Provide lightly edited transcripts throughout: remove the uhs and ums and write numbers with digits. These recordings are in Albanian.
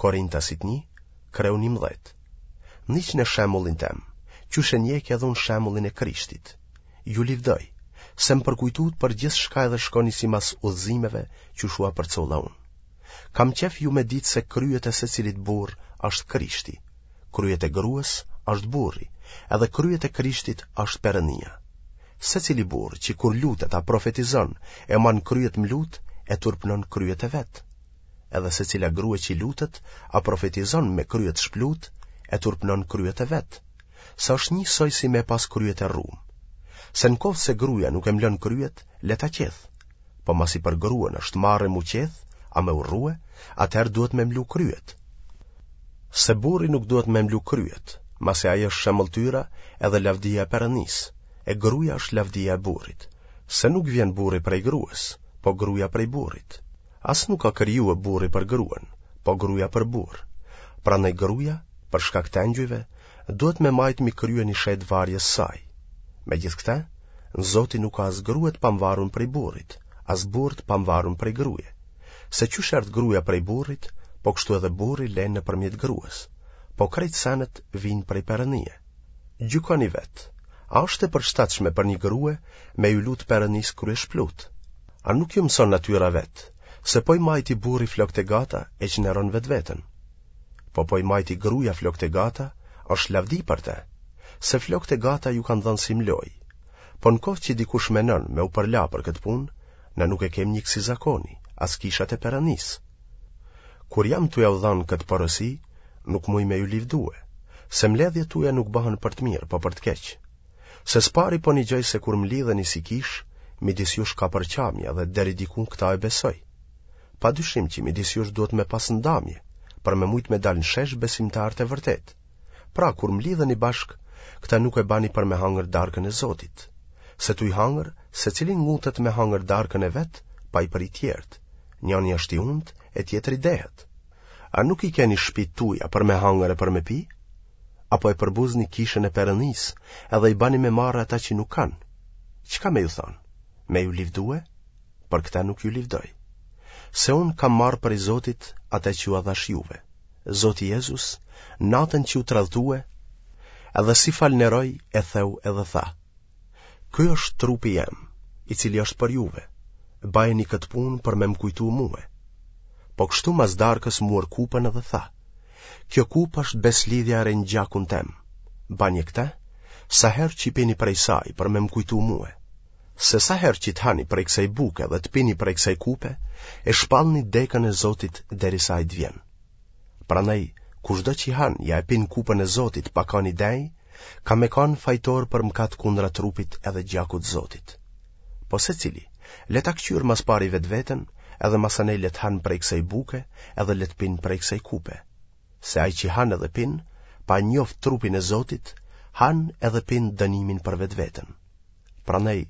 Korintasit 1, kreu 11. Ndiqne shembullin tem, qysh e ndjek edhe unë shembullin e Krishtit. Ju livdoj, se më përkujtut për gjithçka edhe shkoni simas udhëzimeve qysh ua përcolla unë. Kam qef ju me ditë se kryet e secilit burrë është Krishti, kryet e grues është burri, edhe kryet e Krishtit është Perënia. Secili burrë që kur lutet a profetizon e man kryet mlut, e turpnon kryet e vet. Edhe secila grue që lutet a profetizon me kryet shplut, e turpnon kryet e vet. Se është njësoj si me pas kryet e rrum. Se në koftë se gruja nuk e mlon kryet, le ta qeth. Po masi për gruen është marre m'u qeth, a me u rrue, atëherë duhet me mlu kryet. Se burri nuk duhet me mlu kryet, masi ai është shemëlltyra edhe lavdia e Perënisë, e gruja është lavdia e burrit. Se nuk vjen burri prej grues, po gruja prej burrit. As nuk ka krijue burri për gruen, po gruja për burrë. Prandaj gruja, për shkak të engjujve, duhet me majtë mi krye një shej varjes saj. Megjithëkëtë, në Zotin nuk ka as grue të pamvarun prej burrit, as burrë të pamvarun prej gruje. Se qysh erdh gruja prej burrit, po kështu edhe burri len nëpërmjet grues, po krejt senet vijnë prej Perënie. Gjykoni vetë, a është e përshtatshme për një grue me iu lut Perënisë kryeshplut? A nuk ju mëson natyra vetë, se po i majti burri flokët e gata e çnderon vetveten? Po po i majti gruja flokët e gata, është lavdi për te, se flokët e gata ju kanë dhënë si mlojë. Po në koftë që dikush menon me u përla për këtë punë, na nuk e kem një kësi zakoni, as kishat e Perënisë. Kur jam tu jau dhanë këtë porosi, nuk muj me ju livdue, se mbledhjet tuja nuk bëhen për të mirë, po për të keq. Se s'pari po nigjoj se kur mlidheni si kishë, midis jush ka përçamje dhe deri diku këta e besoj. Pa dyshim që midis jush duhet me pas ndamje, për me mujt me dalë në shesh besimtarët e vërtetë. Pra, kur mlidheni bashkë, këta nuk e bani për me hangër darkën e Zotit. Se tuj hangër, secili ngutet me hangër darkën e vet, pa i pri tjerët. Njani është i untë e tjetri dehet. A nuk i keni shpitë tuja për me hangër e për me pi? Apo e përbuzni kishën e Perënisë edhe i bani me marre ata që nuk kanë? Çka me ju thonë? Me ju livdue? Për këta nuk ju livdoj. Se unë kam marrë prej Zotit atë që jua dhashë juve. Zoti Jezus, natën që u tradhtue, edhe si falënderoi e theu edhe tha: Ky është trupi jem, i cili është për juve. Bajeni këtë punë për me më kujtu mue. Po kështu mas darkës muar kupën edhe tha: Kjo kupë është besëlidhja e re në gjakun tem. Banje këtë, sa herë që pini prej saj për me më kujtu mue. Se sa herë që të hani prej kësaj buke dhe të pini prej kësaj kupe, e shpallni dekën e Zotit derisa ai të vjen. Prandaj, kushdo që han ja e pin kupën e Zotit pa kanë i denjë, ka me kanë fajtor për mëkat kundra trupit edhe gjakut Zotit. Po secili, le ta këqyrë mas pari vetveten, edhe masanej le të hanë prej kësaj buke edhe le të pinë prej kësaj kupe. Se ai që han edhe pin, pa njoft trupin e Zotit, han edhe pin dënimin për vetveten. Prandaj,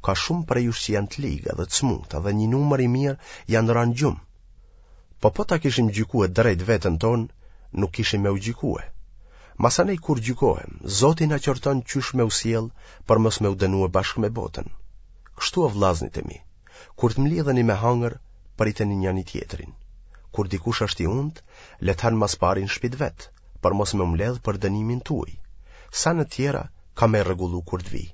ka shumë prej jush që janë të ligë dhe të smutë dhe një numër i mirë janë ranë gjumë. Po po ta kishim gjykue drejt veten tonë, nuk kishim me u gjykue. Masanej kur gjykohem, Zoti na qorton qysh me u sjell për mos me u dënue bashkë me botën. Kështu o vllaznit e mi, kur të mlidheni me hangër, priteni njani tjetrin. Kur dikush është i untë, le të hanë mas pari në shpi të vet, për mos me u mbledh për dënimin tuaj. Senet tjera, kam me rregullu kur të vij.